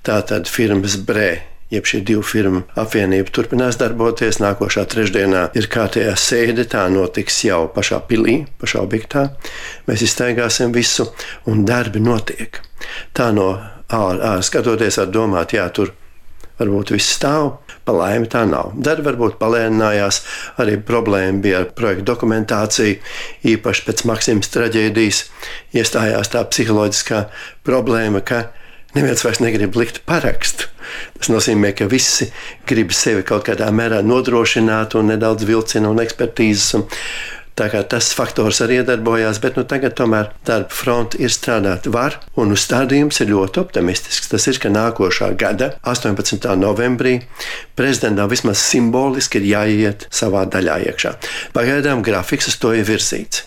Tātad firmas Brē, jeb šī divu firmu apvienība turpinās darboties. Nākošā trešdienā ir kārtējā sēde, tā notiks jau pašā pilī, pašā objektā. Mēs izstaigāsim visu, un darbi notiek. Tā no ārā skatoties var domāt, jā, tur varbūt viss stāv, pa laimi tā nav. Darbi varbūt palēninājās, arī problēma bija ar projektu dokumentāciju, īpaši pēc Maksimas traģēdijas iestājās tā psiholoģiskā problēma, ka neviens vairs negrib likt parakstu. Tas nozīmē, ka visi grib sevi kaut kādā mērā nodrošināt un nedaudz vilcina un ekspertīzes. Tā kā tas faktors arī iedarbojās, bet tagad tomēr darba fronte ir strādāt var, un uzstādījums ir ļoti optimistisks. Tas ir, ka nākošā gada 18. novembrī prezidentam vismaz simboliski ir jāiet savā daļā iekšā. Pagaidām grafiks uz to ir virzīts.